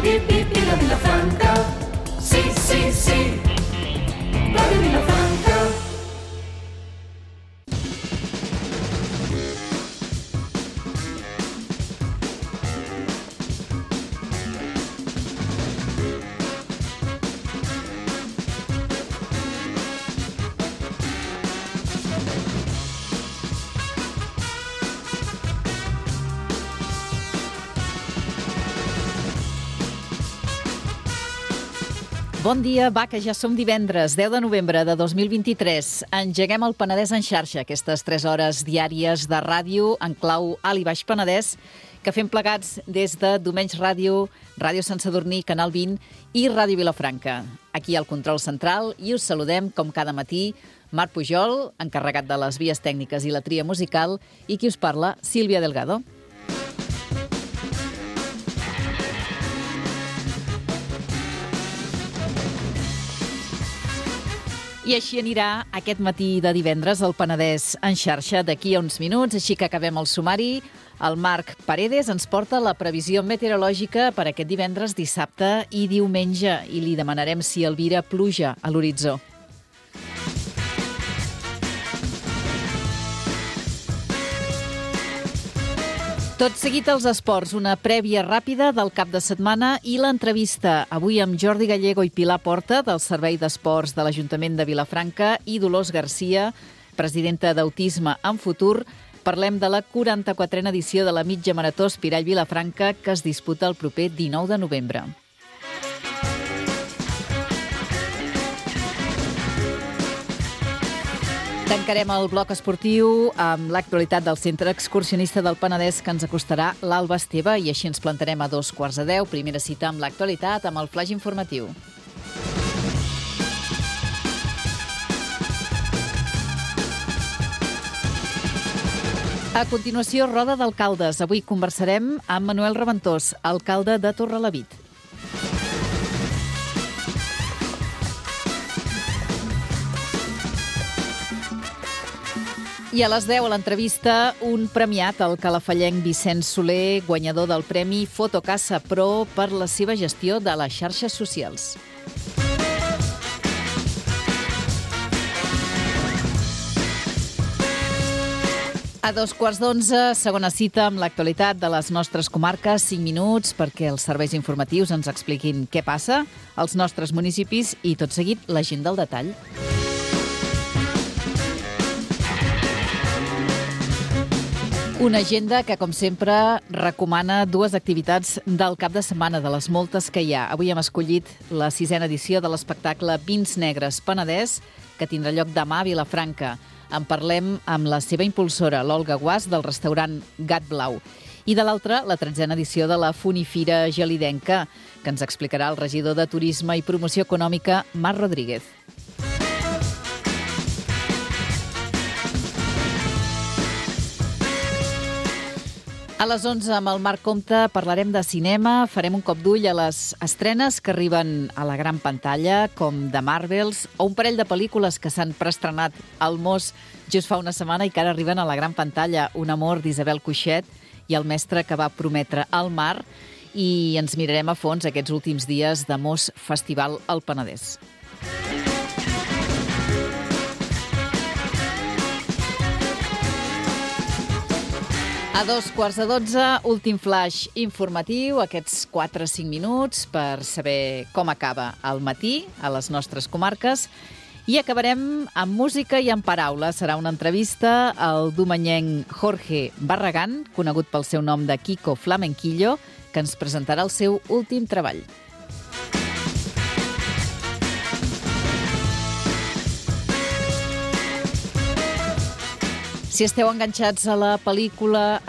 Vip, vip, vila, Vilafranca. Sí, sí, sí. Ràdio Vilafranca. Bon dia, va, que ja som divendres, 10 de novembre de 2023. Engeguem el Penedès en xarxa, aquestes 3 hores diàries de ràdio en clau Alt i Baix Penedès, que fem plegats des de Domenys Ràdio, Ràdio Sant Sadurní, Canal 20 i Ràdio Vilafranca. Aquí al control central i us saludem, com cada matí, Marc Pujol, encarregat de les vies tècniques i la tria musical, i qui us parla, Sílvia Delgado. I així anirà aquest matí de divendres el Penedès en xarxa d'aquí a uns minuts, així que acabem el sumari. El Marc Paredes ens porta la previsió meteorològica per aquest divendres, dissabte i diumenge i li demanarem si albira pluja a l'horitzó. Tot seguit als esports, una prèvia ràpida del cap de setmana i l'entrevista avui amb Jordi Gallego i Pilar Porta del Servei d'Esports de l'Ajuntament de Vilafranca i Dolors Garcia, presidenta d'Autisme en Futur. Parlem de la 44a edició de la mitja marató Espirall Vilafranca que es disputa el proper 19 de novembre. Tancarem el bloc esportiu amb l'actualitat del Centre Excursionista del Penedès que ens acostarà l'Alba Esteve i així ens plantarem a 9:15. Primera cita amb l'actualitat amb el flaix informatiu. A continuació, roda d'alcaldes. Avui conversarem amb Manuel Reventós, alcalde de Torrelavit. I a les 10 a l'entrevista, un premiat, el calafallenc Vicenç Soler, guanyador del Premi Fotocasa Pro per la seva gestió de les xarxes socials. A 11:15, segona cita amb l'actualitat de les nostres comarques, 5 minuts perquè els serveis informatius ens expliquin què passa als nostres municipis i tot seguit l'agenda al detall. Una agenda que, com sempre, recomana 2 activitats del cap de setmana, de les moltes que hi ha. Avui hem escollit la 6a edició de l'espectacle Vins Negres Penedès, que tindrà lloc demà a Vilafranca. En parlem amb la seva impulsora, l'Olga Guas, del restaurant Gat Blau. I de l'altra, la 13a edició de la Funifira Gelidenca, que ens explicarà el regidor de Turisme i Promoció Econòmica, Marc Rodríguez. A les 11, amb el Marc Comte, parlarem de cinema, farem un cop d'ull a les estrenes que arriben a la gran pantalla, com The Marvels, o un parell de pel·lícules que s'han preestrenat al Mos just fa una setmana i que ara arriben a la gran pantalla, Un amor d'Isabel Cuixet i El mestre que va prometre al mar, i ens mirarem a fons aquests últims dies de Mos Festival al Penedès. A 11:15, últim flash informatiu, aquests 4-5 minuts per saber com acaba el matí a les nostres comarques. I acabarem amb música i amb paraules. Serà una entrevista al domenyenc Jorge Barragán, conegut pel seu nom de Kiko Flamenquillo, que ens presentarà el seu últim treball. Si esteu enganxats a la política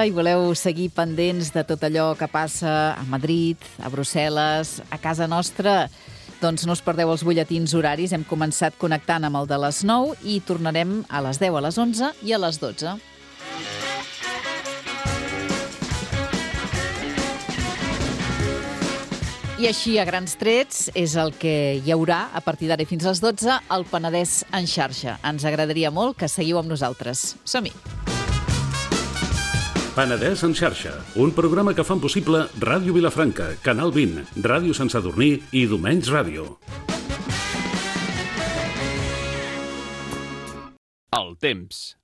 i voleu seguir pendents de tot allò que passa a Madrid, a Brussel·les, a casa nostra, doncs no us perdeu els butlletins horaris. Hem començat connectant amb el de les 9 i tornarem a les 10, a les 11 i a les 12. I així, a grans trets, és el que hi haurà a partir d'ara fins a les 12 al Penedès en xarxa. Ens agradaria molt que seguiu amb nosaltres. Som-hi! Penedès en xarxa, un programa que fan possible Ràdio Vilafranca, Canal 20, Ràdio Sant Sadurní i Domenys Ràdio. El temps.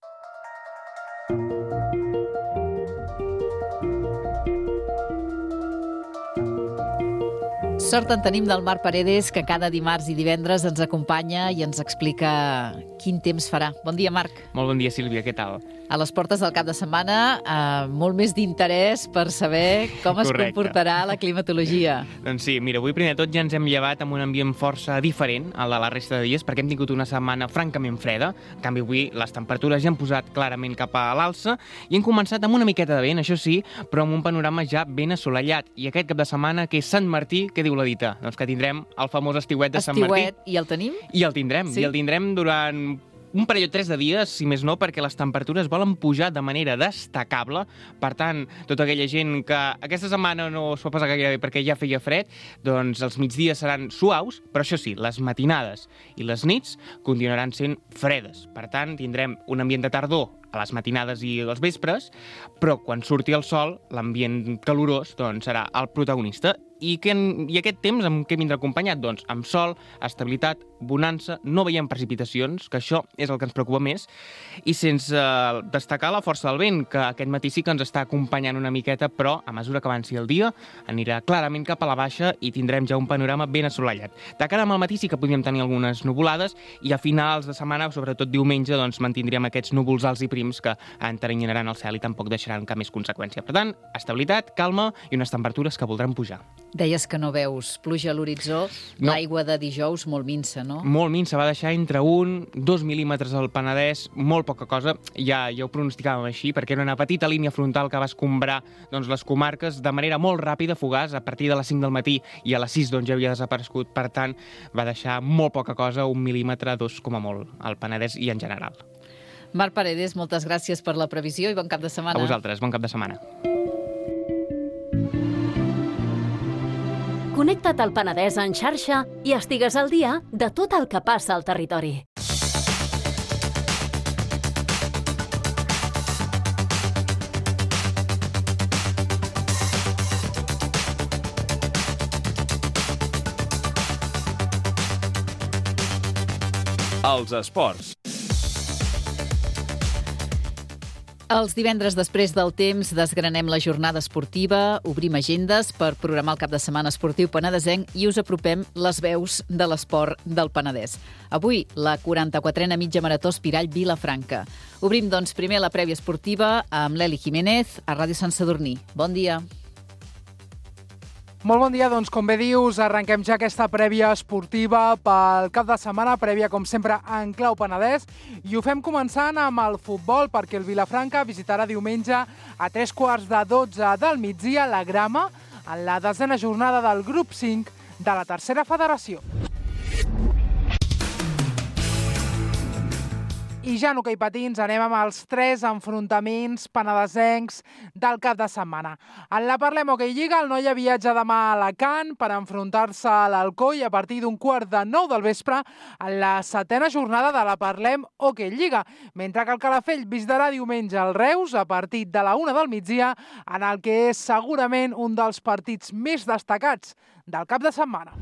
Sort en tenim del Marc Paredes, que cada dimarts i divendres ens acompanya i ens explica quin temps farà. Bon dia, Marc. Molt bon dia, Sílvia, què tal? A les portes del cap de setmana, molt més d'interès per saber com es comportarà la climatologia. Doncs sí, mira, avui primer de tot ja ens hem llevat amb un ambient força diferent al de la resta de dies, perquè hem tingut una setmana francament freda. En canvi, avui les temperatures ja han posat clarament cap a l'alça i hem començat amb una miqueta de vent, això sí, però amb un panorama ja ben assolellat. I aquest cap de setmana, que és Sant Martí, què diu la dita? Doncs que tindrem el famós estiuet de Sant Martí. Estiuet, i el tenim? I el tindrem, sí? I el tindrem durant un parell o 3 de dies, si més no, perquè les temperatures volen pujar de manera destacable. Per tant, tota aquella gent que aquesta setmana no es pot passar gaire bé perquè ja feia fred, doncs els migdies seran suaus, però això sí, les matinades i les nits continuaran sent fredes. Per tant, tindrem un ambient de tardor a les matinades i als vespres, però quan surti el sol, l'ambient calorós doncs, serà el protagonista. I aquest temps amb què vindrà acompanyat? Doncs amb sol, estabilitat, bonança, no veiem precipitacions, que això és el que ens preocupa més, i sense destacar la força del vent, que aquest matí sí que ens està acompanyant una miqueta, però a mesura que avanci el dia anirà clarament cap a la baixa i tindrem ja un panorama ben assolellat. De cara al matí sí que podríem tenir algunes nuvolades i a finals de setmana, sobretot diumenge, doncs mantindríem aquests núvols alts i prims que enteranyinaran el cel i tampoc deixaran cap més conseqüència. Per tant, estabilitat, calma i unes temperatures que voldran pujar. Deies que no veus pluja a l'horitzó, no. L'aigua de dijous molt minsa, no? Molt minsa, va deixar entre 1-2 mil·límetres al Penedès, molt poca cosa, ja ho pronosticàvem així, perquè era una petita línia frontal que va escombrar doncs, les comarques de manera molt ràpida, fugaç, a partir de les 5 del matí i a les 6 doncs, ja havia desaparegut, per tant va deixar molt poca cosa, 1 mil·límetre, 2 com a molt, al Penedès i en general. Marc Paredes, moltes gràcies per la previsió i bon cap de setmana. A vosaltres, bon cap de setmana. Connecta't al Penedès en xarxa i estigues al dia de tot el que passa al territori. Els esports. Els divendres després del temps desgranem la jornada esportiva, obrim agendes per programar el cap de setmana esportiu penedesenc i us apropem les veus de l'esport del Penedès. Avui, la 44a mitja marató Espirall Vilafranca. Obrim, doncs, primer la prèvia esportiva amb l'Eli Jiménez a Ràdio Sant Sadurní. Bon dia. Molt bon dia, doncs com bé dius, arrenquem ja aquesta prèvia esportiva pel cap de setmana, prèvia com sempre en clau Penedès, i ho fem començant amb el futbol perquè el Vilafranca visitarà diumenge a 3:15 del migdia la Grama en la 10a jornada del grup 5 de la tercera federació. I ja en hoquei patins anem amb els 3 enfrontaments penedesencs del cap de setmana. En la Parlem Hoquei Lliga, el Noia viatja demà a Alacant per enfrontar-se a l'Alcoi a partir d'un 8:45 del vespre en la 7a jornada de la Parlem Hoquei Lliga, mentre que el Calafell visitarà diumenge el Reus a partir de la 1 del migdia en el que és segurament un dels partits més destacats del cap de setmana.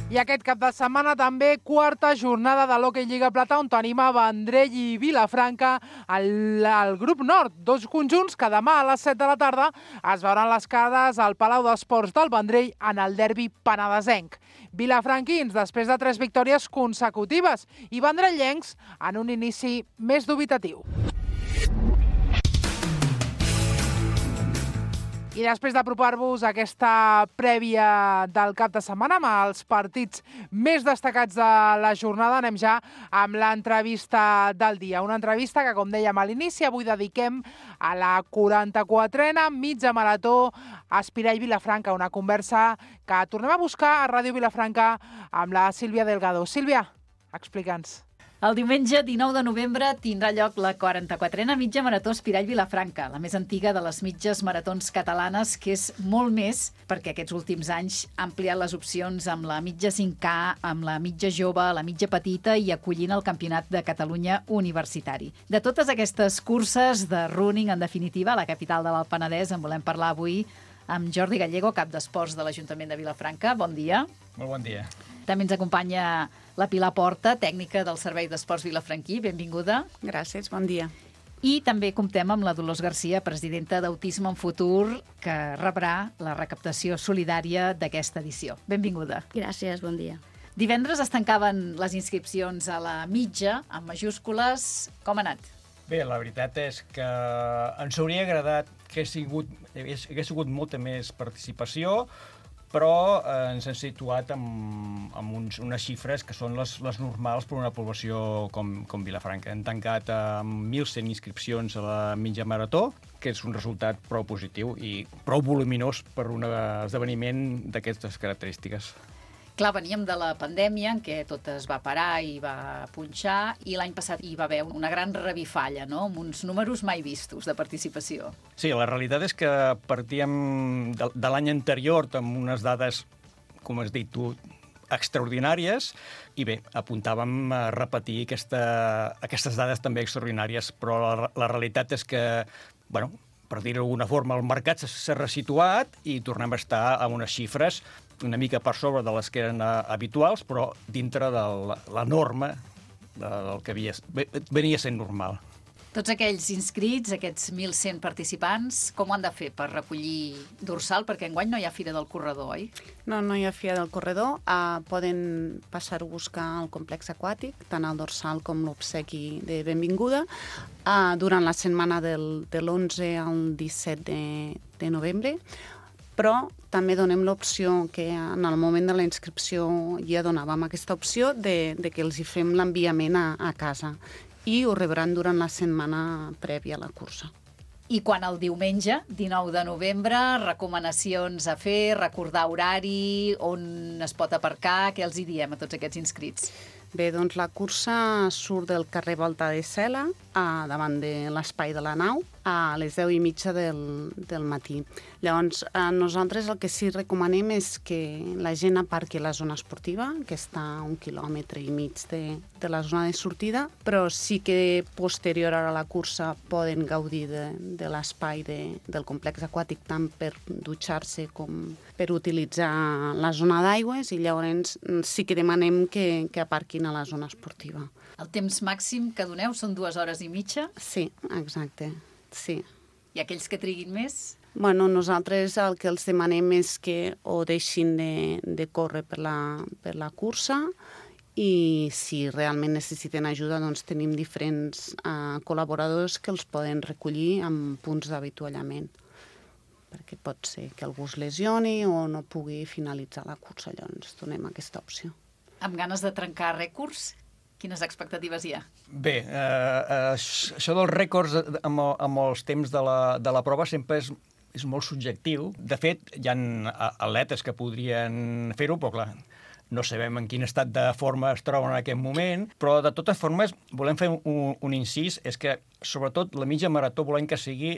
I aquest cap de setmana també 4a jornada de l'Hoquei Lliga Plata on tenim a Vendrell i Vilafranca al grup nord. 2 conjunts que demà a les 7 de la tarda es veuran les cares al Palau d'Esports del Vendrell en el derbi penedesenc. Vilafranquins després de 3 victòries consecutives i vendrellencs en un inici més dubitatiu. I després d'apropar-vos a aquesta prèvia del cap de setmana amb els partits més destacats de la jornada, anem ja amb l'entrevista del dia. Una entrevista que, com dèiem a l'inici, avui dediquem a la 44a mitja marató Espirall Vilafranca, una conversa que tornem a buscar a Ràdio Vilafranca amb la Sílvia Delgado. Sílvia, explica'ns. El diumenge 19 de novembre tindrà lloc la 44a mitja marató Espirall Vilafranca, la més antiga de les mitges maratons catalanes, que és molt més perquè aquests últims anys ha ampliat les opcions amb la mitja 5K, amb la mitja jove, la mitja petita i acollint el Campionat de Catalunya universitari. De totes aquestes curses de running, en definitiva, a la capital de l'Alt Penedès, en volem parlar avui amb Jordi Gallego, cap d'Esports de l'Ajuntament de Vilafranca. Bon dia. Molt bon dia. També ens acompanya la Pilar Porta, tècnica del Servei d'Esports Vilafranquí. Benvinguda. Gràcies, bon dia. I també comptem amb la Dolors Garcia, presidenta d'Autisme en Futur, que rebrà la recaptació solidària d'aquesta edició. Benvinguda. Gràcies, bon dia. Divendres es tancaven les inscripcions a la mitja, amb majúscules. Com ha anat? Bé, la veritat és que ens hauria agradat que hagués sigut molta més participació, però ens hem situat amb unes xifres que són les normals per una població com Vilafranca. Hem tancat amb 1.100 inscripcions a la mitja marató, que és un resultat prou positiu i prou voluminós per un esdeveniment d'aquestes característiques. Clar, veníem de la pandèmia en què tot es va parar i va punxar, i l'any passat hi va haver una gran revifalla, no?, amb uns números mai vistos de participació. Sí, la realitat és que partíem de l'any anterior amb unes dades, com has dit tu, extraordinàries, i bé, apuntàvem a repetir aquestes dades també extraordinàries, però la realitat és que, bueno, per dir-ho d'alguna forma, el mercat s'ha resituat i tornem a estar a unes xifres una mica per sobre de les que eren habituals, però dintre de la norma del que venia sent normal. Tots aquells inscrits, aquests 1.100 participants, com ho han de fer per recollir dorsal? Perquè enguany no hi ha Fira del Corredor, oi? No hi ha Fira del Corredor. Poden passar a buscar al complex aquàtic, tant el dorsal com l'obsequi de benvinguda, durant la setmana de l'11 al 17 de novembre, però també donem l'opció que en el moment de la inscripció ja donàvem aquesta opció de que els hi fem l'enviament a casa i ho rebran durant la setmana prèvia a la cursa. I quan el diumenge, 19 de novembre, recomanacions a fer, recordar horari, on es pot aparcar, què els hi diem a tots aquests inscrits? Bé, doncs la cursa surt del carrer Volta de Cela, davant de l'espai de la nau, a les 10:30 del matí. Llavors, nosaltres el que sí recomanem és que la gent aparqui a la zona esportiva, que està a 1,5 quilòmetres de la zona de sortida, però sí que posterior a la cursa poden gaudir de l'espai del complex aquàtic, tant per dutxar-se com per utilitzar la zona d'aigües, i llavors sí que demanem que aparquin a la zona esportiva. El temps màxim que doneu són 2 hores i mitja? Sí, exacte, sí. I aquells que triguin més? Bueno, nosaltres el que els demanem és que o deixin de córrer per la cursa, i si realment necessiten ajuda, doncs tenim diferents col·laboradors que els poden recollir amb punts d'avituallament, perquè pot ser que algú es lesioni o no pugui finalitzar la cursa, llavors donem aquesta opció. Amb ganes de trencar rècords? Quines expectatives hi ha? Bé, això dels rècords amb els temps de la prova sempre és molt subjectiu. De fet, hi ha atletes que podrien fer-ho, però clar, no sabem en quin estat de forma es troben en aquest moment, però de totes formes volem fer un incís, és que sobretot la mitja marató volem que sigui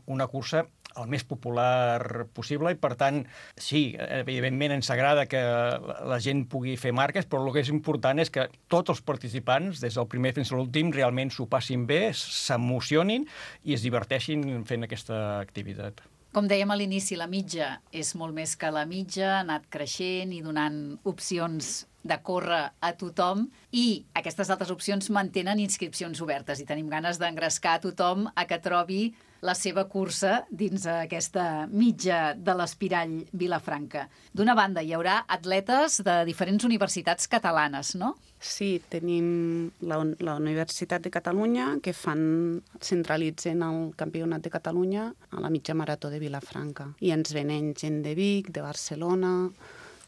una cursa el més popular possible, i per tant, sí, evidentment ens agrada que la gent pugui fer marques, però el que és important és que tots els participants, des del primer fins a l'últim, realment s'ho passin bé, s'emocionin i es diverteixin fent aquesta activitat. Com dèiem a l'inici, la mitja és molt més que la mitja, ha anat creixent i donant opcions de córrer a tothom, i aquestes altres opcions mantenen inscripcions obertes i tenim ganes d'engrescar a tothom a que trobi la seva cursa dins aquesta mitja de l'Espirall Vilafranca. D'una banda, hi haurà atletes de diferents universitats catalanes, no? Sí, tenim la Universitat de Catalunya, que centralitzen el Campionat de Catalunya a la mitja marató de Vilafranca. I ens venen gent de Vic, de Barcelona,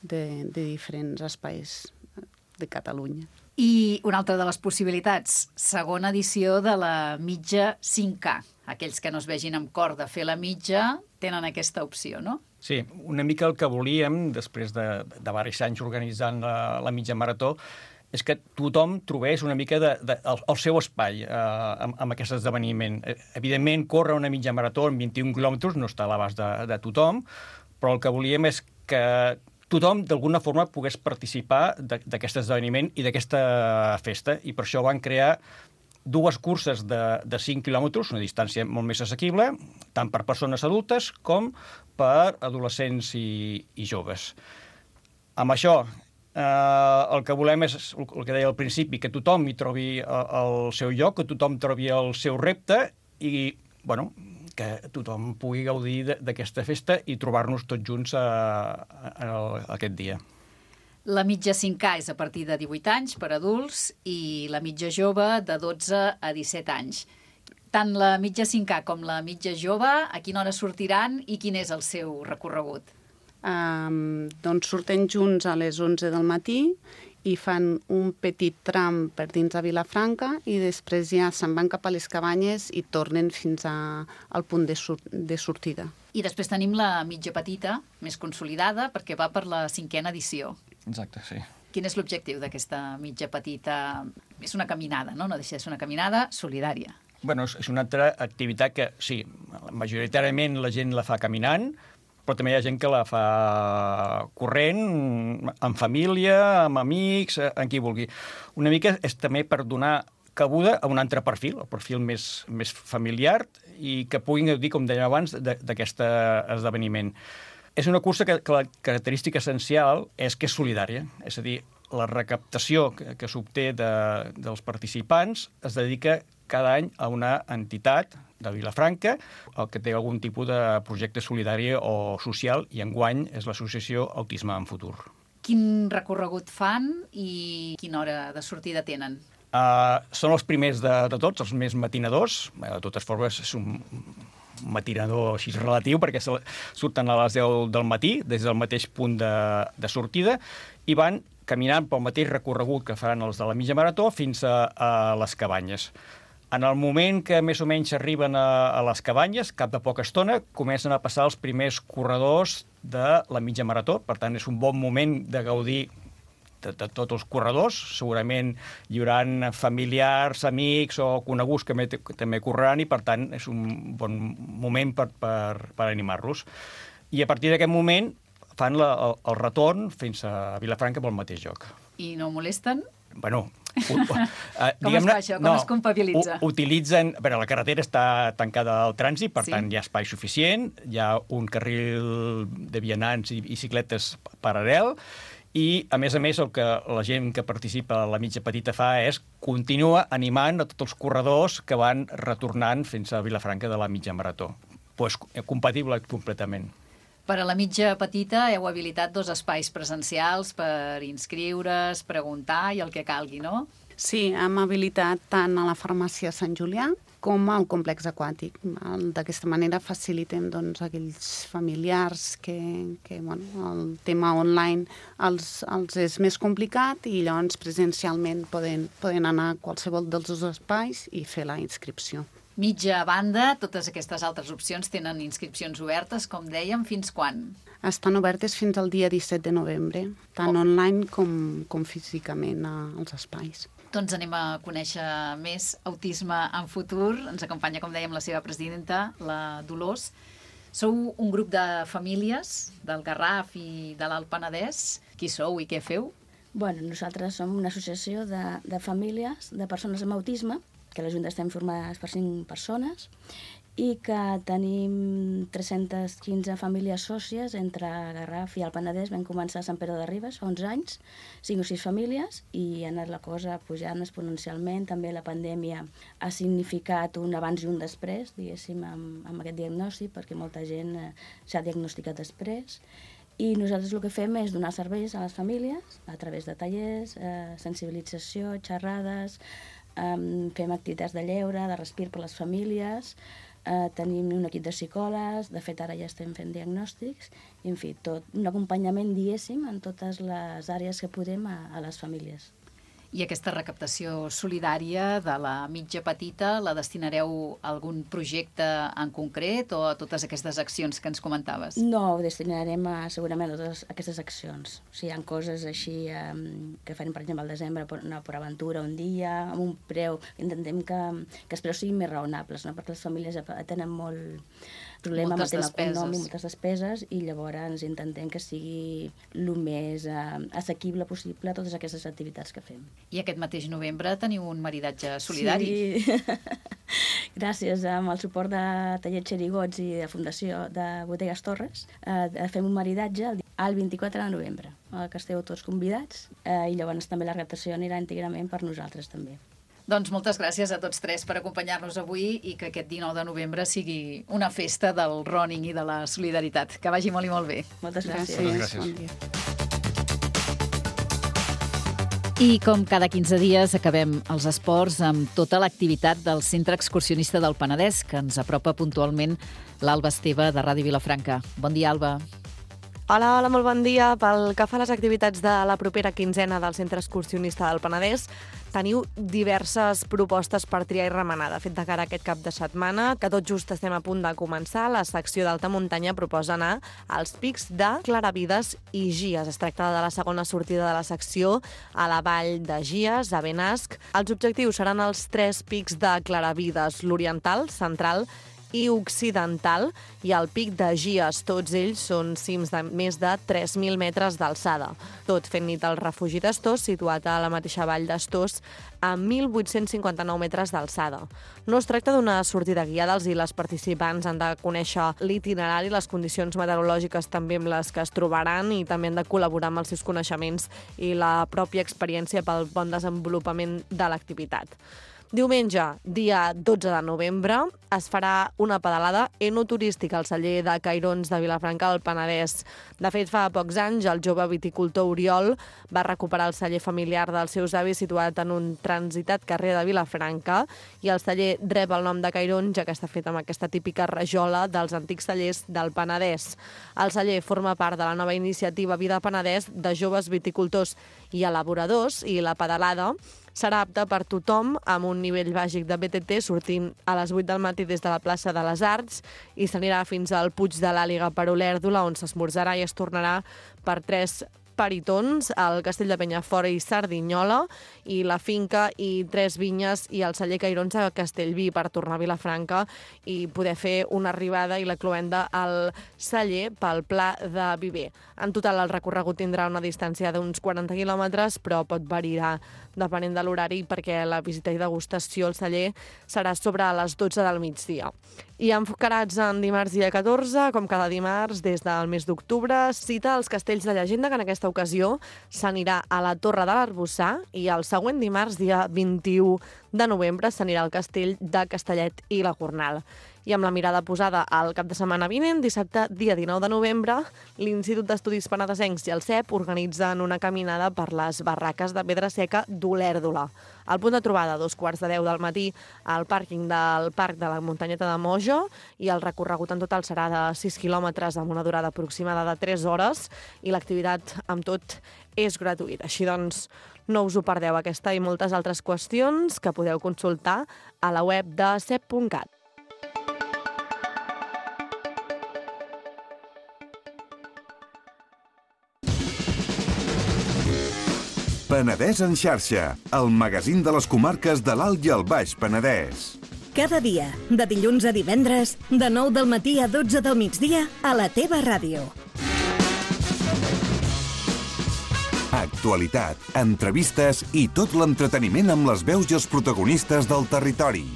de diferents espais de Catalunya. I una altra de les possibilitats, segona edició de la mitja 5K. Aquells que no es vegin amb cor de fer la mitja tenen aquesta opció, no? Sí, una mica el que volíem, després de diversos anys organitzant la mitja marató, és que tothom trobés una mica el seu espai amb aquest esdeveniment. Evidentment, córrer una mitja marató en 21 quilòmetres no està a l'abast de tothom, però el que volíem és que tothom, d'alguna forma, pogués participar d'aquest esdeveniment i d'aquesta festa, i per això van crear 2 curses de 5 quilòmetres, una distància molt més assequible, tant per persones adultes com per adolescents i joves. Amb això, el que volem és, el que deia al principi, que tothom hi trobi el seu lloc, que tothom trobi el seu repte i, bueno, que tothom pugui gaudir d'aquesta festa i trobar-nos tots junts aquest dia. La mitja 5K és a partir de 18 anys per adults i la mitja jove de 12 a 17 anys. Tant la mitja 5K com la mitja jove, a quina hora sortiran i quin és el seu recorregut? Doncs surten junts a les 11 del matí i fan un petit tram per dins de Vilafranca i després ja se'n van cap a les cabanyes i tornen fins al punt de sortida. I després tenim la mitja petita, més consolidada, perquè va per la 5a edició. Exacte, sí. Quin és l'objectiu d'aquesta mitja petita? És una caminada, no? No deixa de ser una caminada solidària. Bueno, és una altra activitat que, sí, majoritàriament la gent la fa caminant, però també hi ha gent que la fa corrent, en família, amb amics, en qui vulgui. Una mica és també per donar cabuda a un altre perfil, el perfil més familiar, i que puguin gaudir, com deia abans, d'aquest esdeveniment. És una cursa que la característica essencial és que és solidària, és a dir, la recaptació que s'obté dels participants es dedica cada any a una entitat de Vilafranca, el que té algun tipus de projecte solidari o social, i enguany és l'associació Autisme en Futur. Quin recorregut fan i quina hora de sortida tenen? Són els primers de tots, els més matinadors. De totes formes, és un matinador així relatiu, perquè surten a les 10 del matí, des del mateix punt de sortida, i van caminant pel mateix recorregut que faran els de la mitja marató fins a les cabanyes. En el moment que més o menys arriben a les cabanyes, cap de poca estona, comencen a passar els primers corredors de la mitja marató. Per tant, és un bon moment de gaudir de tots els corredors. Segurament hi haurà familiars, amics o coneguts que també correran i, per tant, és un bon moment per animar-los. I a partir d'aquest moment fan el retorn fins a Vilafranca pel mateix lloc. I no molesten? Bueno, com es fa això? Com es compabilitza? Utilitzen... A veure, la carretera està tancada al trànsit, per tant hi ha espai suficient, hi ha un carril de vianants i bicicletes paral·lel, i, a més, el que la gent que participa a la mitja petita fa és continua animant a tots els corredors que van retornant fins a Vilafranca de la mitja marató. Pues, compatible completament. Per a la mitja petita heu habilitat 2 espais presencials per inscriure's, preguntar i el que calgui, no? Sí, hem habilitat tant a la farmàcia Sant Julià com al complex aquàtic. D'aquesta manera facilitem aquells familiars que el tema online els és més complicat i llavors presencialment poden anar a qualsevol dels 2 espais i fer la inscripció. Mitja banda, totes aquestes altres opcions tenen inscripcions obertes, com dèiem, fins quan? Estan obertes fins al dia 17 de novembre, tant online com físicament als espais. Doncs anem a conèixer més Autisme en Futur. Ens acompanya, com dèiem, la seva presidenta, la Dolors. Sou un grup de famílies del Garraf i de l'Alt Penedès. Qui sou i què feu? Bueno, nosaltres som una associació de famílies, de persones amb autisme, que a la Junta estem formades per 5 persones i que tenim 315 famílies sòcies entre Garraf i el Penedès. Vam començar a Sant Pere de Ribes fa 11 anys, 5 o 6 famílies, i ha anat la cosa pujant exponencialment. També la pandèmia ha significat un abans i un després, diguéssim, amb aquest diagnòstic, perquè molta gent s'ha diagnosticat després. I nosaltres el que fem és donar serveis a les famílies a través de tallers, sensibilització, xerrades, fem activitats de lleure, de respir per les famílies, tenim un equip de psicòlegs, de fet ara ja estem fent diagnòstics, i en fi, tot un acompanyament, diguéssim, en totes les àrees que podem a les famílies. I aquesta recaptació solidària de la mitja petita la destinareu a algun projecte en concret o a totes aquestes accions que ens comentaves? No, ho destinarem segurament a totes aquestes accions. O sigui, hi ha coses així que farem, per exemple, al desembre, una PortAventura un dia, amb un preu, intentem que els preus siguin més raonables, no? Perquè les famílies tenen molt problema amb el tema econòmic, moltes despeses, i llavors intentem que sigui el més assequible possible a totes aquestes activitats que fem. I aquest mateix novembre teniu un maridatge solidari. Sí, gràcies amb el suport de Taller Xerigots i de Fundació de Bodegues Torres, fem un maridatge el 24 de novembre, que esteu tots convidats, i llavors també la recaptació anirà íntegrament per nosaltres també. Doncs moltes gràcies a tots tres per acompanyar-nos avui i que aquest 19 de novembre sigui una festa del running i de la solidaritat. Que vagi molt i molt bé. Moltes gràcies. Moltes gràcies. Bon dia. I com cada 15 dies acabem els esports amb tota l'activitat del Centre Excursionista del Penedès, que ens apropa puntualment l'Alba Esteve de Ràdio Vilafranca. Bon dia, Alba. Hola, molt bon dia. Pel que fa a les activitats de la propera quinzena del Centre Excursionista del Penedès, teniu diverses propostes per triar i remenar. De fet, de cara a aquest cap de setmana, que tot just estem a punt de començar, la secció d'alta muntanya proposa anar als pics de Claravides i Gies. Es tracta de la segona sortida de la secció a la vall de Gies, a Benasc. Els objectius seran els 3 pics de Claravides, l'oriental, central i occidental, i el pic de Gies. Tots ells són cims de més de 3.000 metres d'alçada. Tot fent nit al refugi d'Astós, situat a la mateixa vall d'Astós, a 1.859 metres d'alçada. No es tracta d'una sortida guiada, i les participants han de conèixer l'itinerari, les condicions meteorològiques també amb les que es trobaran, i també han de col·laborar amb els seus coneixements i la pròpia experiència pel bon desenvolupament de l'activitat. Diumenge, dia 12 de novembre, es farà una pedalada enoturística al celler de Cairons de Vilafranca al Penedès. De fet, fa pocs anys, el jove viticultor Oriol va recuperar el celler familiar dels seus avis situat en un transitat carrer de Vilafranca, i el celler rep el nom de Cairons, ja que està fet amb aquesta típica rajola dels antics cellers del Penedès. El celler forma part de la nova iniciativa Vida Penedès de joves viticultors i elaboradors, i la pedalada serà apta per tothom amb un nivell bàsic de BTT, sortint a les 8 del matí des de la plaça de les Arts, i s'anirà fins al Puig de l'Àliga per Olèrdola, on s'esmorzarà i es tornarà per 3 peritons, al Castell de Penyafort i Cerdanyola, i la finca i 3 vinyes i el celler Cairons a Castellví per tornar a Vilafranca i poder fer una arribada i la cloenda al celler pel Pla de Viver. En total, el recorregut tindrà una distància d'uns 40 quilòmetres, però pot variar depenent de l'horari, perquè la visita i degustació al celler serà sobre les 12 del migdia. I enfocats en dimarts dia 14, com cada dimarts des del mes d'octubre, cita els castells de llegenda, que en aquesta ocasió s'anirà a la Torre de l'Arboçar, i el següent dimarts, dia 21 de novembre, s'anirà al castell de Castellet i la Gornal. I amb la mirada posada al cap de setmana vinent, dissabte, dia 19 de novembre, l'Institut d'Estudis Penedesencs i el CEP organitzen una caminada per les barraques de pedra seca d'Olèrdola. El punt de trobada, a 2:15 del matí, al pàrquing del Parc de la Muntanyeta de Moja, i el recorregut en total serà de 6 quilòmetres amb una durada aproximada de 3 hores, i l'activitat amb tot és gratuïta. Així doncs, no us ho perdeu, aquesta i moltes altres qüestions que podeu consultar a la web de cep.cat. Penedès en xarxa, el magazín de les comarques de l'Alt i el Baix Penedès. Cada dia, de dilluns a divendres, de 9 del matí a 12 del migdia, a la teva ràdio. Actualitat, entrevistes i tot l'entreteniment amb les veus i els protagonistes del territori.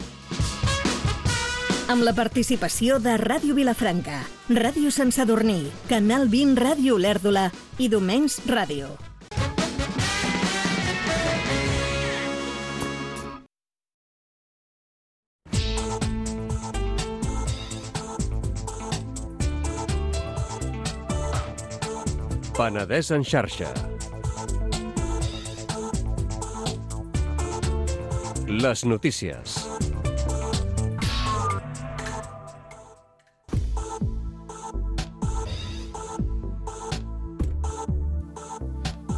Amb la participació de Ràdio Vilafranca, Ràdio Sant Sadurní, Canal 20 Ràdio Olèrdola i Domenys Ràdio. Penedès en xarxa. Les notícies.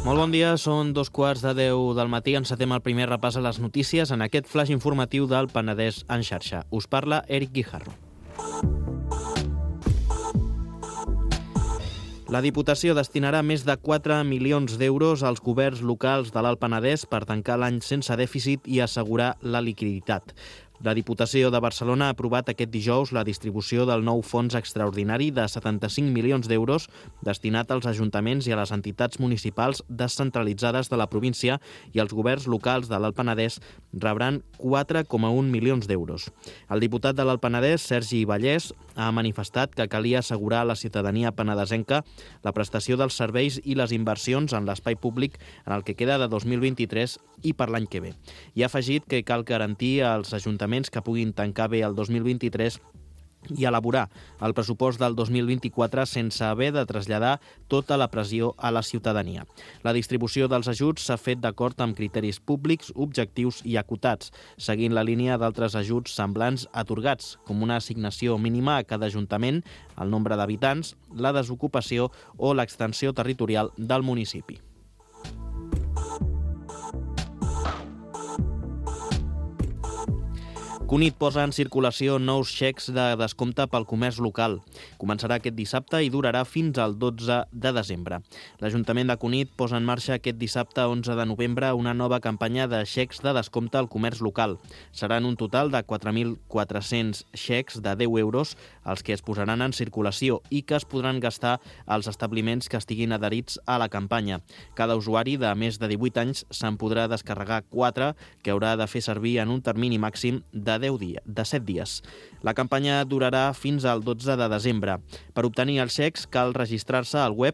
Molt bon dia, són 2:15 del matí. Encetem el primer repàs a les notícies en aquest flash informatiu del Penedès en xarxa. Us parla Eric Guijarro. La Diputació destinarà més de 4 milions d'euros als governs locals de l'Alt Penedès per tancar l'any sense dèficit i assegurar la liquiditat. La Diputació de Barcelona ha aprovat aquest dijous la distribució del nou fons extraordinari de 75 milions d'euros destinat als ajuntaments i a les entitats municipals descentralitzades de la província, i els governs locals de l'Alt Penedès rebran 4,1 milions d'euros. El diputat de l'Alt Penedès, Sergi Vallès, ha manifestat que calia assegurar a la ciutadania penedesenca la prestació dels serveis i les inversions en l'espai públic en el que queda de 2023 i per l'any que ve. I ha afegit que cal garantir als ajuntaments que puguin tancar bé el 2023 i elaborar el pressupost del 2024 sense haver de traslladar tota la pressió a la ciutadania. La distribució dels ajuts s'ha fet d'acord amb criteris públics, objectius i acotats, seguint la línia d'altres ajuts semblants atorgats, com una assignació mínima a cada ajuntament, el nombre d'habitants, la desocupació o l'extensió territorial del municipi. Cunit posa en circulació nous xecs de descompte pel comerç local. Començarà aquest dissabte i durarà fins al 12 de desembre. L'Ajuntament de Cunit posa en marxa aquest dissabte 11 de novembre una nova campanya de xecs de descompte al comerç local. Seran un total de 4.400 xecs de 10 euros els que es posaran en circulació i que es podran gastar als establiments que estiguin adherits a la campanya. Cada usuari de més de 18 anys se'n podrà descarregar 4 que haurà de fer servir en un termini màxim de 7 dies. La campanya durarà fins al 12 de desembre. Per obtenir els xecs cal registrar-se al web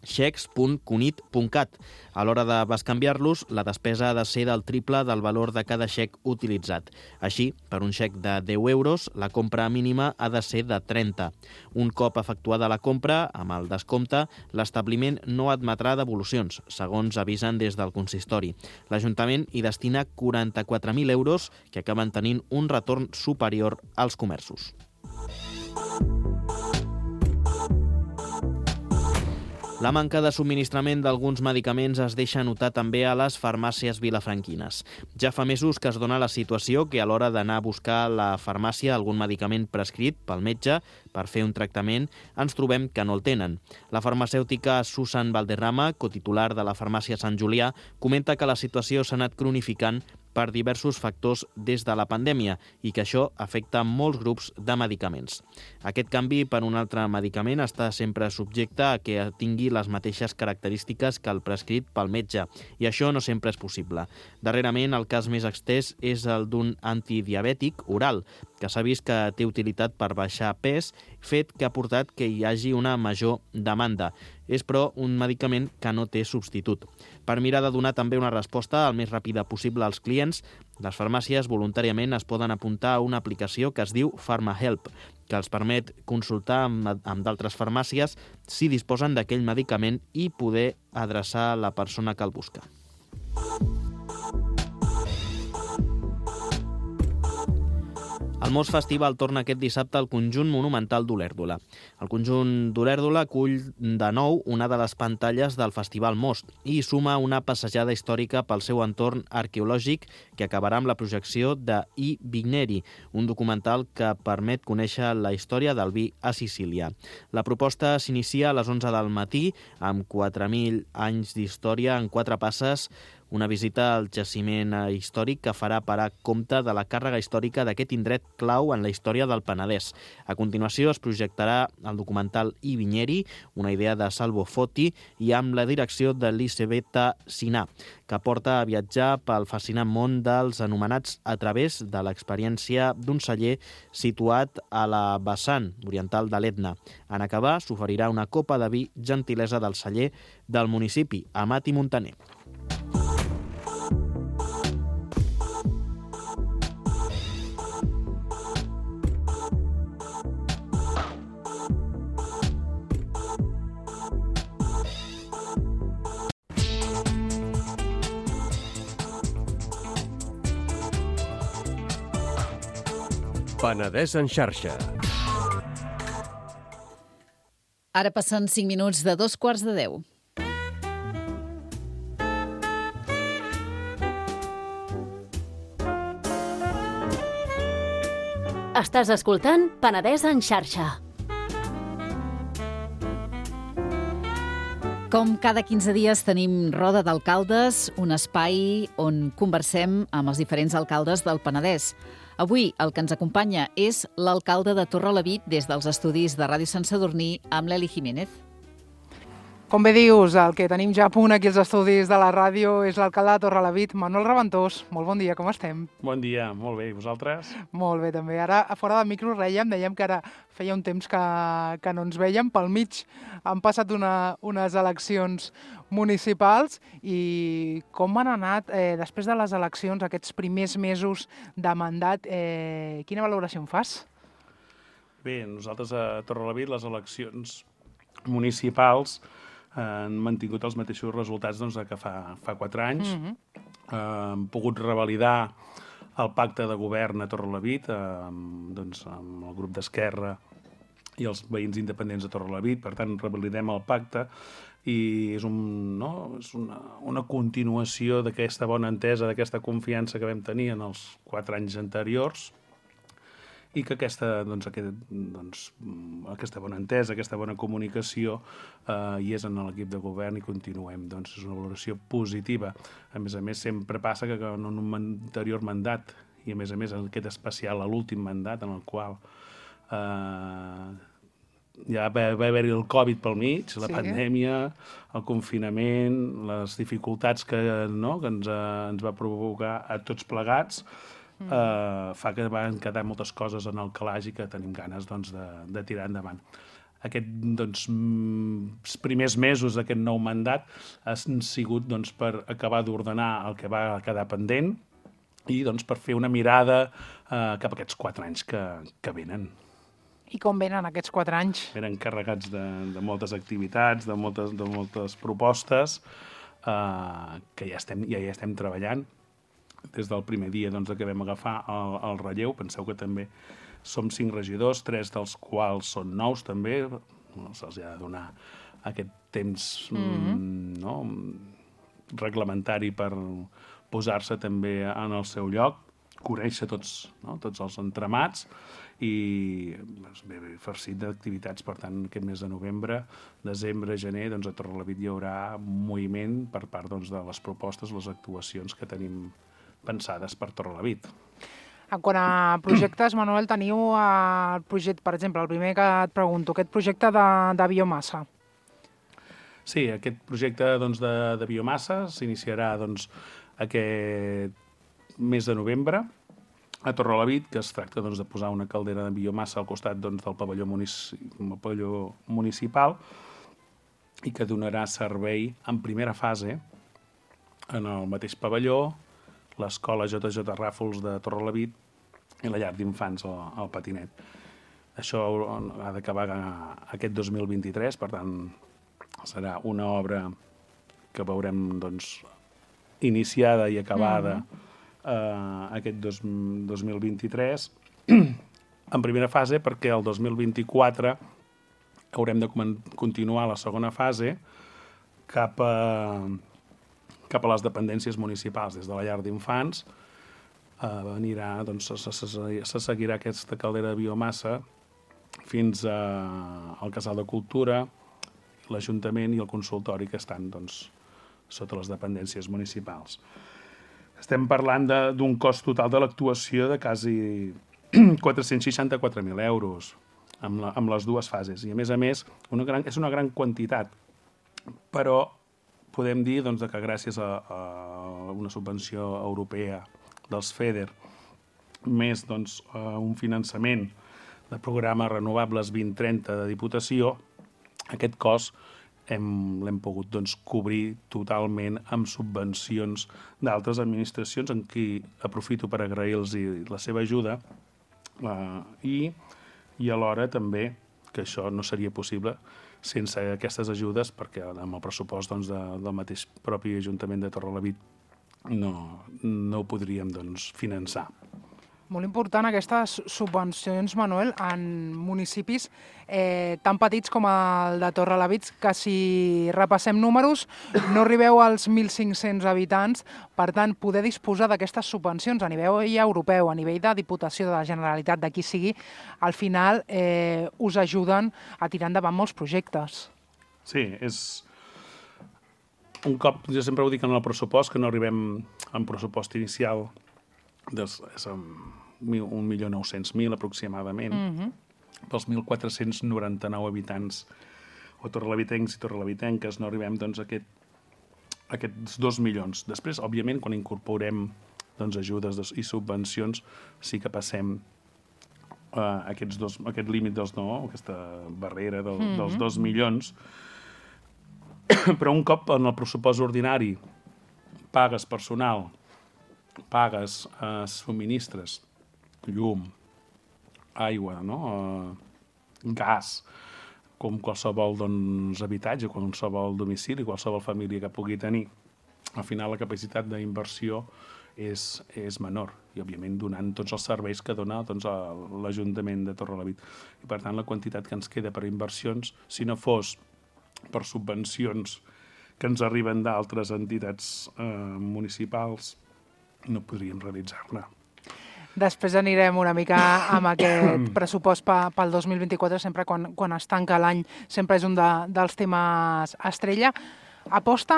xecs.cunit.cat. A l'hora de bescanviar-los, la despesa ha de ser del triple del valor de cada xec utilitzat. Així, per un xec de 10 euros, la compra mínima ha de ser de 30. Un cop efectuada la compra, amb el descompte, l'establiment no admetrà devolucions, segons avisen des del consistori. L'Ajuntament hi destina 44.000 euros, que acaben tenint un retorn superior als comerços. La manca de subministrament d'alguns medicaments es deixa notar també a les farmàcies vilafranquines. Ja fa mesos que es dona la situació que a l'hora d'anar a buscar a la farmàcia algun medicament prescrit pel metge per fer un tractament, ens trobem que no el tenen. La farmacèutica Susan Valderrama, cotitular de la farmàcia Sant Julià, comenta que la situació s'ha anat cronificant per diversos factors des de la pandèmia i que això afecta molts grups de medicaments. Aquest canvi per un altre medicament està sempre subjecte a que tingui les mateixes característiques que el prescrit pel metge, i això no sempre és possible. Darrerament, el cas més extès és el d'un antidiabètic oral, que s'ha vist que té utilitat per baixar pes, fet que ha portat que hi hagi una major demanda. És, però, un medicament que no té substitut. Per mirar de donar també una resposta el més ràpida possible als clients, les farmàcies voluntàriament es poden apuntar a una aplicació que es diu PharmaHelp, que els permet consultar amb d'altres farmàcies si disposen d'aquell medicament i poder adreçar la persona que el busca. El Mos Festival torna aquest dissabte al conjunt monumental d'Olèrdola. El conjunt d'Olèrdola acull de nou una de les pantalles del Festival Most i suma una passejada històrica pel seu entorn arqueològic que acabarà amb la projecció de I Vigneri, un documental que permet conèixer la història del vi a Sicília. La proposta s'inicia a les 11 del matí amb 4.000 anys d'història en 4 passes, una visita al jaciment històric que farà parar compte de la càrrega històrica d'aquest indret clau en la història del Penedès. A continuació es projectarà el documental I Vigneri, una idea de Salvo Foti, i amb la direcció d'Elisabetta Sinà, que porta a viatjar pel fascinant món dels anomenats a través de l'experiència d'un celler situat a la vessant oriental de l'Etna. En acabar, s'oferirà una copa de vi, gentilesa del celler del municipi, Amat i Montaner. Penedès en xarxa. Ara passen 5 minuts de 2:15. Estàs escoltant Penedès en xarxa. Com cada 15 dies tenim Roda d'Alcaldes, un espai on conversem amb els diferents alcaldes del Penedès. Avui el que ens acompanya és l'alcalde de Torrelavit des dels estudis de Ràdio Sant Sadurní amb l'Eli Jiménez. Com bé dius, el que tenim ja a punt aquí als estudis de la ràdio és l'alcalde de Torrelavit, Manuel Reventós. Molt bon dia, com estem? Bon dia, molt bé. I vosaltres? Molt bé, també. Ara, a fora del micro, dèiem que ara feia un temps que no ens vèiem. Pel mig han passat unes eleccions municipals i com han anat després de les eleccions, aquests primers mesos de mandat, quina valoració en fas? Bé, nosaltres a Torrelavit les eleccions municipals han mantingut els mateixos resultats que fa 4 anys. Hem pogut revalidar el pacte de govern a Torrelavit amb el grup d'Esquerra i els veïns independents de Torrelavit. Per tant, revalidem el pacte i és una continuació d'aquesta bona entesa, d'aquesta confiança que vam tenir en els 4 anys anteriors i que aquesta bona entesa, aquesta bona comunicació hi és en l'equip de govern i continuem. És una valoració positiva. A més, sempre passa que en un anterior mandat, i a més aquest especial a l'últim mandat, en el qual ja va haver-hi el Covid pel mig, la pandèmia, el confinament, les dificultats que ens va provocar a tots plegats, fa que van quedar moltes coses en el calaix i que tenim ganes de tirar endavant. Aquests primers mesos d'aquest nou mandat han sigut per acabar d'ordenar el que va quedar pendent i per fer una mirada cap a aquests 4 anys que venen. I com venen aquests 4 anys? Venen carregats de moltes activitats, de moltes propostes que ja estem treballant. Des del primer dia que vam agafar el relleu, penseu que també som 5 regidors, 3 dels quals són nous també, se'ls ha de donar aquest temps reglamentari per posar-se també en el seu lloc, conèixer tots els entramats i farcit d'activitats. Per tant, aquest mes de novembre, desembre, gener, a Torrelavit hi haurà moviment per part de les propostes, les actuacions que tenim pensades per Torrelavit. En quant a projectes, Manuel, teniu el projecte, per exemple, el primer que et pregunto, aquest projecte de biomassa. Sí, aquest projecte de biomassa s'iniciarà aquest mes de novembre a Torrelavit, que es tracta de posar una caldera de biomassa al costat del pavelló municipal i que donarà servei en primera fase en el mateix pavelló, l'Escola JJ Ràfols de Torrelavit i la llar d'infants al Patinet. Això ha d'acabar aquest 2023, per tant, serà una obra que veurem iniciada i acabada aquest 2023. En primera fase, perquè el 2024 haurem de continuar la segona fase cap a les dependències municipals. Des de la llar d'infants se seguirà aquesta caldera de biomassa fins al Casal de Cultura, l'Ajuntament i el consultori que estan sota les dependències municipals. Estem parlant d'un cost total de l'actuació de quasi 464.000 euros amb les dues fases. I, a més, és una gran quantitat, però podem dir que gràcies a una subvenció europea dels FEDER, més un finançament del programa Renovables 2030 de Diputació, aquest cost l'hem pogut cobrir totalment amb subvencions d'altres administracions, en qui aprofito per agrair-los la seva ajuda i alhora també que això no seria possible sense aquestes ajudes, perquè amb el pressupost del mateix propi Ajuntament de Torrelavit no ho podríem finançar. Molt important aquestes subvencions, Manuel, en municipis tan petits com el de Torrelavit, que si repassem números no arribeu als 1.500 habitants, per tant, poder disposar d'aquestes subvencions a nivell europeu, a nivell de Diputació de la Generalitat, de qui sigui, al final us ajuden a tirar endavant molts projectes. Sí, és... Un cop, jo sempre ho dic en el pressupost, que no arribem en pressupost inicial, és 1.900.000 aproximadament, pels 1.499 habitants o torrelavitencs i torrelavitenques no arribem doncs, a aquests 2 milions. Després, òbviament, quan incorporem doncs, ajudes i subvencions, sí que passem aquest límit dels aquesta barrera dels 2 milions, però un cop en el pressupost ordinari pagues personal, pagues subministres, llum, aigua, gas, com qualsevol habitatge, qualsevol domicili, qualsevol família que pugui tenir, al final la capacitat d'inversió és menor i, òbviament, donant tots els serveis que dona l'Ajuntament de Torrelavit. I, per tant, la quantitat que ens queda per inversions, si no fos per subvencions que ens arriben d'altres entitats municipals, no podríem realitzar-ne. Després anirem una mica amb aquest pressupost pel 2024, sempre quan es tanca l'any, sempre és un dels temes estrella. Aposta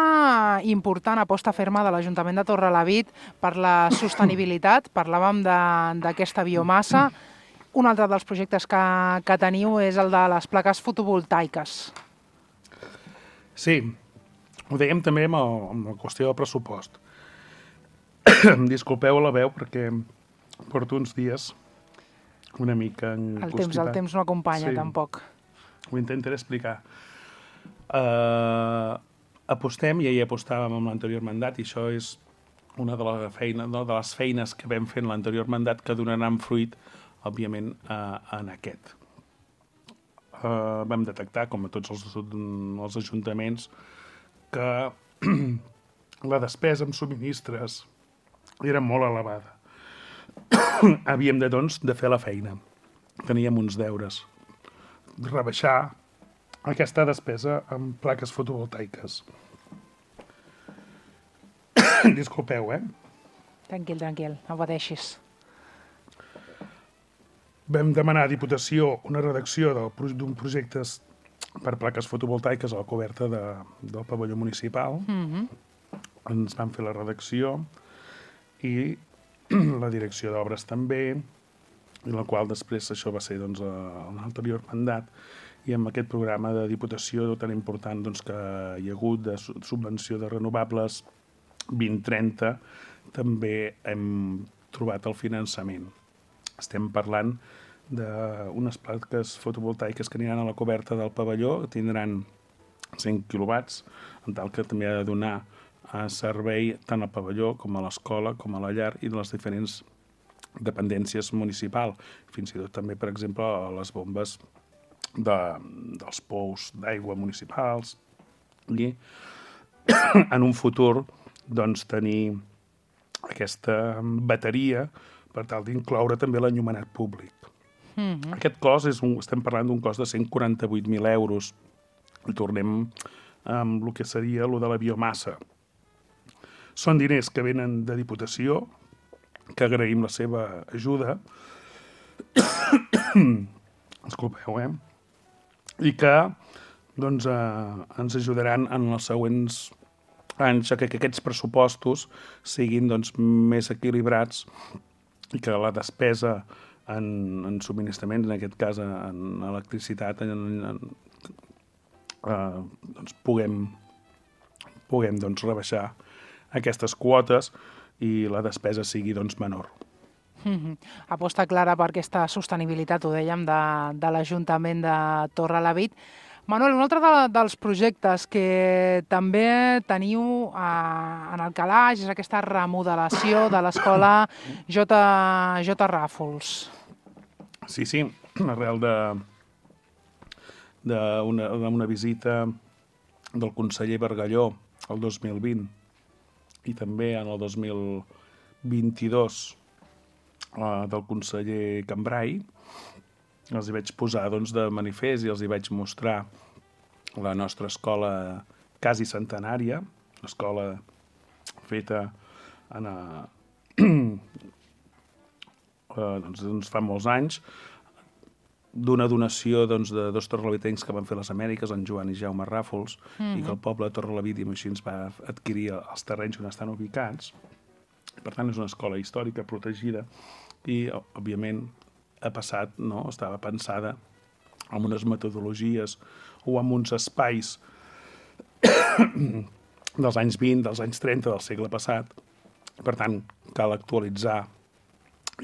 important, aposta ferma de l'Ajuntament de Torrelavit per la sostenibilitat. Parlàvem d'aquesta biomassa. Un altre dels projectes que teniu és el de les plaques fotovoltaiques. Sí, ho dèiem també amb la qüestió del pressupost. Disculpeu la veu perquè porto uns dies una mica encostipat. El temps no acompanya, tampoc. Ho intentaré explicar. Apostem, ja hi apostàvem amb l'anterior mandat, i això és una de les feines que vam fer en l'anterior mandat que donaran fruit, òbviament, en aquest. Vam detectar, com a tots els ajuntaments, que la despesa en subministres era molt elevada. Havíem de fer la feina. Teníem uns deures. Rebaixar aquesta despesa amb plaques fotovoltaiques. Disculpeu, Tranquil, no pateixis. Vam demanar a Diputació una redacció d'un projecte per plaques fotovoltaiques a la coberta del pavelló municipal. Ens van fer la redacció i la direcció d'obres també, i la qual després això va ser en l'anterior mandat, i amb aquest programa de Diputació tan important que hi ha hagut de subvenció de renovables 2030, també hem trobat el finançament. Estem parlant d'unes plaques fotovoltaiques que aniran a la coberta del pavelló, tindran 100 quilowatts, en tal que també ha de donar servei tant al pavelló com a l'escola, com a la llar i de les diferents dependències municipals. Fins i tot també, per exemple, a les bombes dels pous d'aigua municipals. I en un futur, tenir aquesta bateria per tal d'incloure també l'enllumenat públic. Aquest cost, estem parlant d'un cost de 148.000 euros. I tornem amb el que seria el de la biomassa. Són diners que venen de Diputació, que agraïm la seva ajuda. Disculpeu, I que ens ajudaran en els següents anys que aquests pressupostos siguin més equilibrats i que la despesa en subministraments, en aquest cas en electricitat, puguem rebaixar aquestes quotes i la despesa sigui menor. Aposta clara per aquesta sostenibilitat, ho dèiem, de l'Ajuntament de Torrelavit. Manuel, un altre dels projectes que també teniu en el calaix és aquesta remodelació de l'escola J. Ràfols. Sí, arrel d'una visita del conseller Bargalló el 2020 i també en el 2022 del conseller Cambrai. Els hi vaig posar doncs, de manifest i els hi vaig mostrar la nostra escola quasi centenària, l'escola feta en, doncs fa molts anys, d'una donació doncs, de dos torrelavitencs que van fer les Amèriques, en Joan i Jaume Ràfols, i que el poble de Torrelavit i així ens va adquirir els terrenys on estan ubicats. Per tant, és una escola històrica protegida i, òbviament, ha passat, no? Estava pensada amb unes metodologies o amb uns espais dels anys 20, dels anys 30 del segle passat. Per tant, cal actualitzar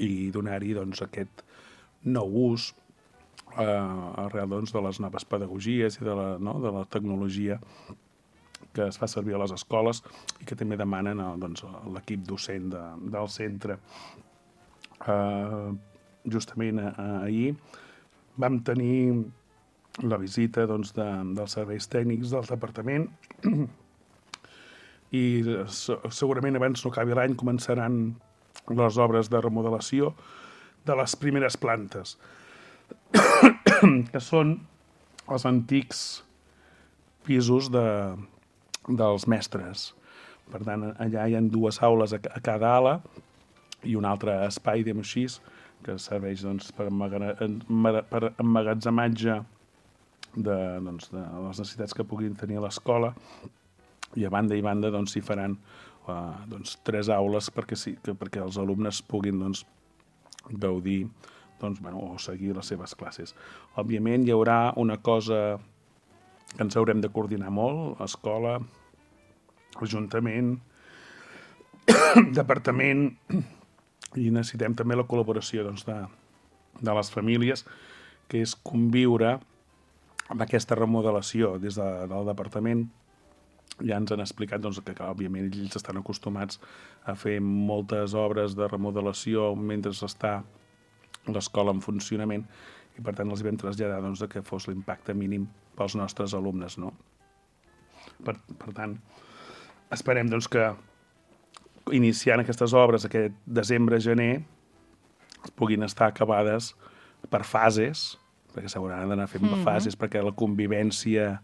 i donar-hi doncs, aquest nou ús arrel doncs, de les noves pedagogies i de la tecnologia que es fa servir a les escoles i que també demanen doncs, l'equip docent del centre. Justament ahir vam tenir la visita doncs, dels serveis tècnics del departament i segurament abans no acabi l'any començaran les obres de remodelació de les primeres plantes, que són els antics pisos dels mestres. Per tant, allà hi ha dues aules a cada ala i un altre espai, diguem així, que serveix doncs, per emmagatzematge de les necessitats que puguin tenir a l'escola, i a banda i banda doncs, s'hi faran 3 aules perquè els alumnes puguin doncs, gaudir o seguir les seves classes. Òbviament hi haurà una cosa que ens haurem de coordinar molt, escola, ajuntament, departament, i necessitem també la col·laboració doncs, de les famílies, que és conviure amb aquesta remodelació des del departament. Ja ens han explicat doncs, que, òbviament, ells estan acostumats a fer moltes obres de remodelació mentre està l'escola en funcionament i, per tant, els vam traslladar doncs, que fos l'impacte mínim pels nostres alumnes. No? Per tant, esperem doncs, que iniciant aquestes obres aquest desembre-gener puguin estar acabades per fases, perquè s'hauran d'anar fent fases perquè la convivència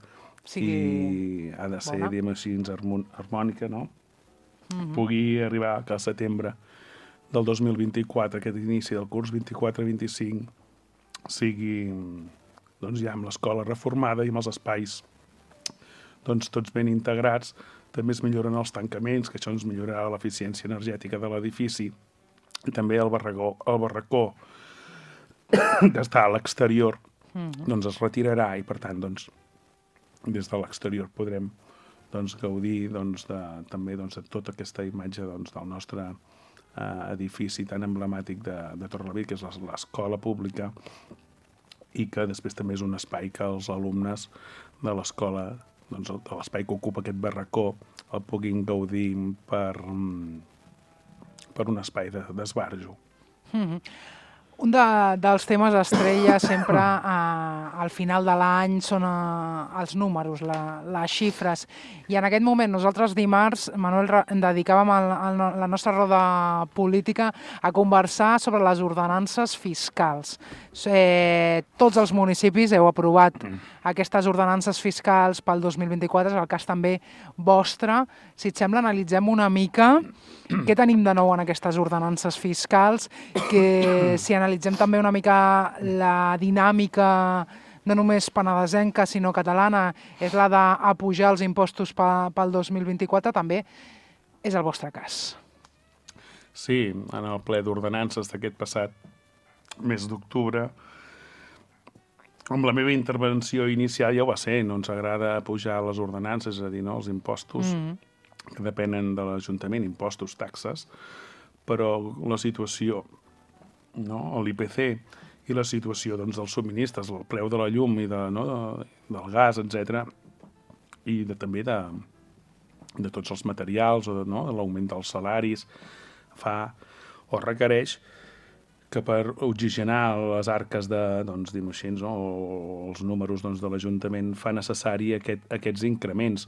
ha de ser, diguem així, harmònica, no? Pugui arribar que al setembre del 2024, aquest inici del curs 24-25, sigui doncs, ja amb l'escola reformada i amb els espais doncs, tots ben integrats. També es milloren els tancaments, que això ens millorarà l'eficiència energètica de l'edifici, i també el barracó que està a l'exterior doncs es retirarà i, per tant, doncs, des de l'exterior podrem doncs, gaudir doncs, també doncs, de tota aquesta imatge doncs, del nostre edifici tan emblemàtic de Torrelavit, que és l'escola pública, i que després també és un espai que els alumnes de l'escola, doncs, de l'espai que ocupa aquest barracó, el puguin gaudir per un espai d'esbarjo. Un dels temes estrella sempre al final de l'any són els números, les xifres. I en aquest moment nosaltres dimarts, Manuel, dedicàvem la nostra roda política a conversar sobre les ordenances fiscals. Tots els municipis heu aprovat aquestes ordenances fiscals pel 2024, és el cas també vostre. Si et sembla, analitzem una mica què tenim de nou en aquestes ordenances fiscals, que si analitzem també una mica la dinàmica no només penedesenca, sinó catalana, és la d'apujar els impostos pel 2024, també és el vostre cas. Sí, en el ple d'ordenances d'aquest passat mes d'octubre, amb la meva intervenció inicial ja ho va ser, no ens agrada apujar les ordenances, és a dir, no, els impostos que depenen de l'Ajuntament, impostos, taxes, però la situació, no, l'IPC i la situació doncs, dels subministres, el preu de la llum i del gas, etc., i també de tots els materials, o de l'augment dels salaris, fa o requereix que per oxigenar les arques o els números de l'Ajuntament fa necessari aquests increments.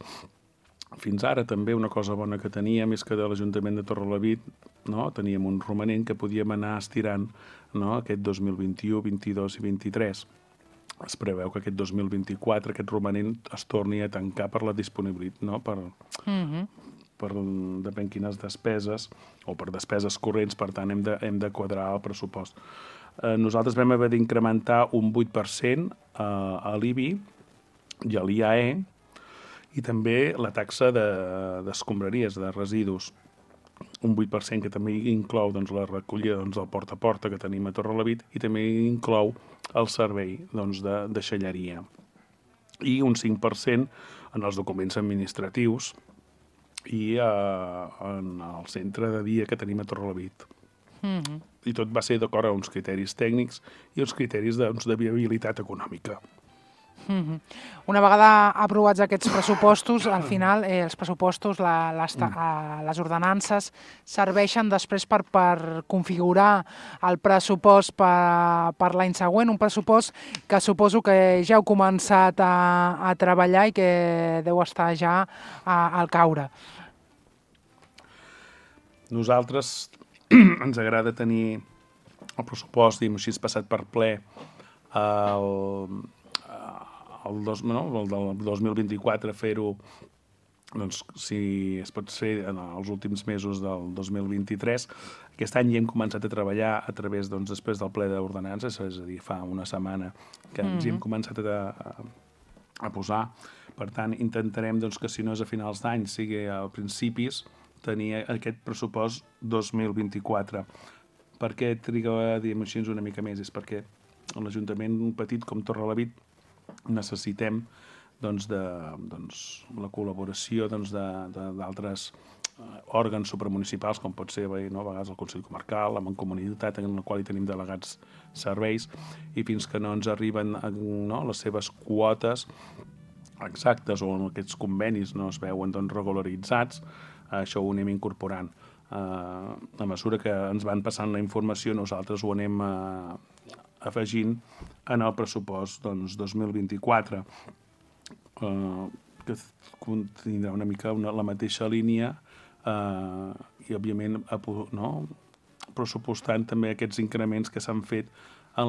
fins ara també una cosa bona que teníem és que de l'Ajuntament de Torrelavit, no, teníem un romanent que podíem anar estirant, no, aquest 2021, 22 i 23. Es preveu que aquest 2024 aquest romanent es torni a tancar per la disponibilitat, no, per depèn quines despeses, o per despeses corrents, per tant hem de quadrar el pressupost. Nosaltres vam haver d'incrementar un 8% a l'IBI i a l'IAE, i també la taxa d'escombraries, de residus, un 8% que també inclou la recollida del porta a porta que tenim a Torrelavit i també inclou el servei de deixalleria. I un 5% en els documents administratius i en el centre de dia que tenim a Torrelavit. I tot va ser d'acord a uns criteris tècnics i uns criteris de viabilitat econòmica. Una vegada aprovats aquests pressupostos, al final els pressupostos, les ordenances, serveixen després per configurar el pressupost per l'any següent, un pressupost que suposo que ja heu començat a treballar i que deu estar ja al caure. Nosaltres ens agrada tenir el pressupost, diguem així, passat per ple el 2024, fer-ho, si es pot fer en els últims mesos del 2023. Aquest any ja hem començat a treballar a través, després del ple d'ordenances, és a dir, fa una setmana que ens hi hem començat a posar. Per tant, intentarem que si no és a finals d'any, sigui a principis, tenir aquest pressupost 2024. Per què triga, diguem així, una mica més? És perquè l'Ajuntament petit com Torrelavit necessitem la col·laboració d'altres òrgans supramunicipals, com pot ser a vegades el Consell Comarcal, la Mancomunitat, en la qual hi tenim delegats serveis, i fins que no ens arriben les seves quotes exactes o aquests convenis no es veuen regularitzats, això ho anem incorporant. A mesura que ens van passant la informació, nosaltres ho anem afegint en el pressupost 2024, que tindrà una mica la mateixa línia i, òbviament, pressupostant també aquests increments que s'han fet en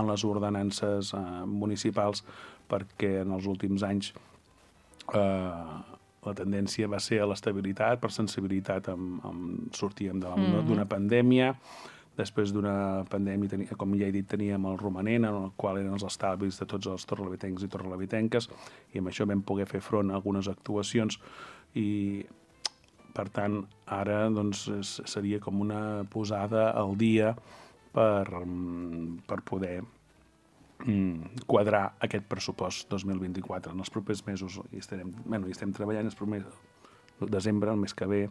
les ordenances municipals, perquè en els últims anys la tendència va ser a l'estabilitat, per sensibilitat sortíem d'una pandèmia. Després d'una pandèmia, com ja he dit, teníem el romanent, en el qual eren els estalvis de tots els torrelavitencs i torrelavitenques, i amb això vam poder fer front a algunes actuacions, i per tant ara seria com una posada al dia per poder quadrar aquest pressupost 2024. En els propers mesos hi estem treballant, el desembre, el mes que ve,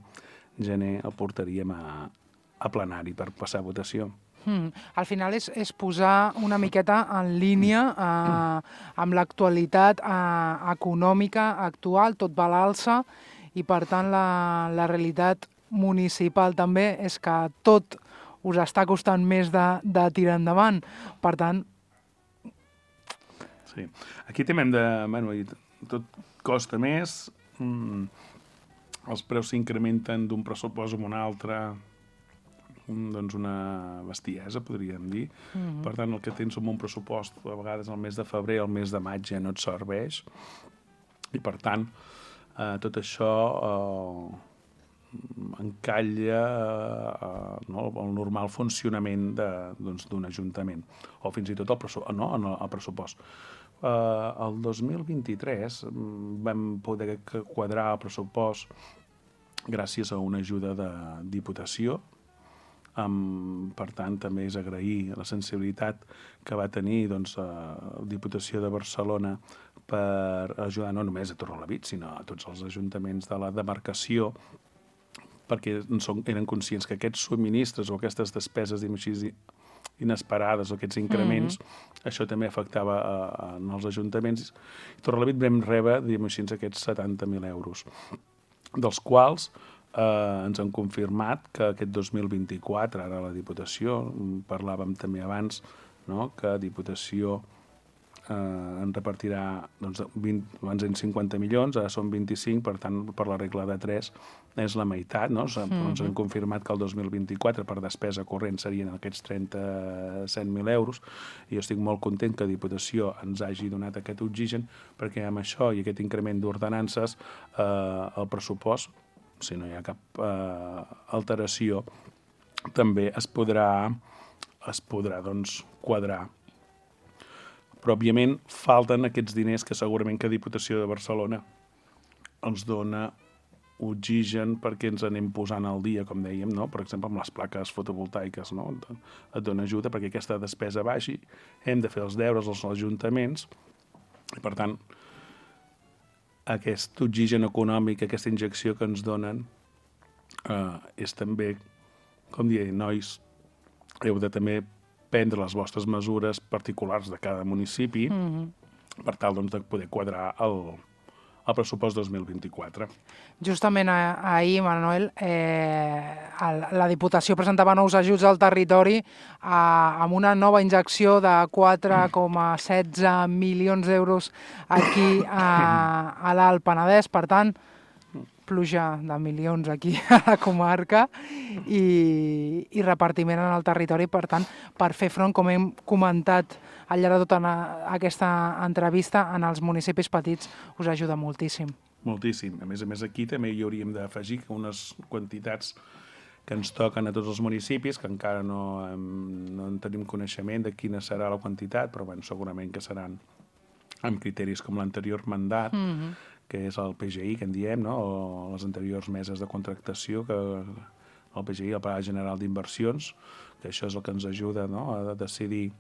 gener, el portaríem a plenari per passar a votació. Al final és posar una miqueta en línia amb l'actualitat econòmica actual, tot va a l'alça, i per tant la realitat municipal també és que tot us està costant més de tirar endavant. Per tant... Sí. Aquí també tot costa més, els preus s'incrementen d'un pressupost a un altre, una bestiesa, podríem dir. Per tant, el que tens amb un pressupost, a vegades el mes de febrer, el mes de maig ja no et serveix. I, per tant, tot això encalla el normal funcionament d'un ajuntament, o fins i tot el pressupost. El 2023 vam poder quadrar el pressupost gràcies a una ajuda de Diputació. Per tant, també és agrair la sensibilitat que va tenir la Diputació de Barcelona per ajudar no només a Torrelavit, sinó a tots els ajuntaments de la demarcació, perquè eren conscients que aquests subministres o aquestes despeses inesperades o aquests increments, això també afectava els ajuntaments. I Torrelavit vam rebre aquests 70.000 euros, dels quals ens han confirmat que aquest 2024, ara la Diputació, parlàvem també abans, que Diputació en repartirà doncs, 20, abans eren 50 milions, ara són 25, per tant, per la regla de 3 és la meitat, no? Ens han confirmat que el 2024 per despesa corrent serien aquests 37.000 euros, i jo estic molt content que Diputació ens hagi donat aquest oxigen, perquè amb això i aquest increment d'ordenances el pressupost, si no hi ha cap alteració, també es podrà doncs, quadrar. Però, òbviament, falten aquests diners que segurament que Diputació de Barcelona ens dona oxigen perquè ens anem posant al dia, com dèiem, no? Per exemple, amb les plaques fotovoltaiques, no? Et dona ajuda perquè aquesta despesa baixi, hem de fer els deures als ajuntaments, i, per tant, aquest oxigen econòmic, aquesta injecció que ens donen, és també, com dir, nois, heu de també prendre les vostres mesures particulars de cada municipi per tal doncs, de poder quadrar el pressupost 2024. Justament ahir, Manuel, la Diputació presentava nous ajuts al territori amb una nova injecció de 4,16 milions d'euros aquí a l'Alt Penedès. Per tant, pluja de milions aquí a la comarca i repartiment en el territori, per tant, per fer front, com hem comentat al llarg de tota aquesta entrevista, en els municipis petits us ajuda moltíssim. Moltíssim. A més, aquí també hi hauríem d'afegir unes quantitats que ens toquen a tots els municipis, que encara no en tenim coneixement de quina serà la quantitat, però bueno, segurament que seran amb criteris com l'anterior mandat, que és el PGI, que en diem, no? O les anteriors meses de contractació, que el PGI, el Pla General d'Inversions, que això és el que ens ajuda, no? A decidir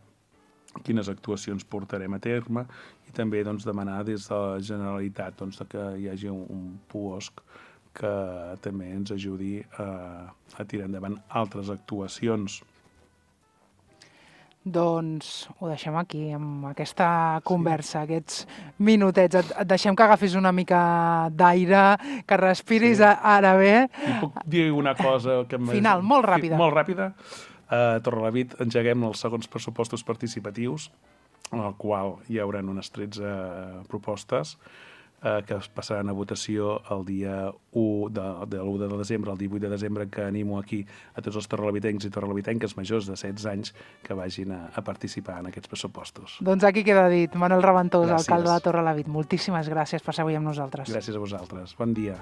quines actuacions portarem a terme, i també doncs, demanar des de la Generalitat doncs, que hi hagi un puosc que també ens ajudi a tirar endavant altres actuacions. Doncs ho deixem aquí, amb aquesta conversa, aquests minutets. Et deixem que agafis una mica d'aire, que respiris ara bé. I puc dir una cosa que final, molt ràpida. Molt ràpida. A Torrelavit engeguem els segons pressupostos participatius, en el qual hi haurà unes 13 propostes que es passaran a votació el dia 1 de desembre, el 18 de desembre, que animo aquí a tots els torrelavitencs i torrelavitenques majors de 16 anys que vagin a participar en aquests pressupostos. Doncs aquí queda dit. Manuel Raventós, alcalde de Torrelavit, moltíssimes gràcies per ser avui amb nosaltres. Gràcies a vosaltres. Bon dia.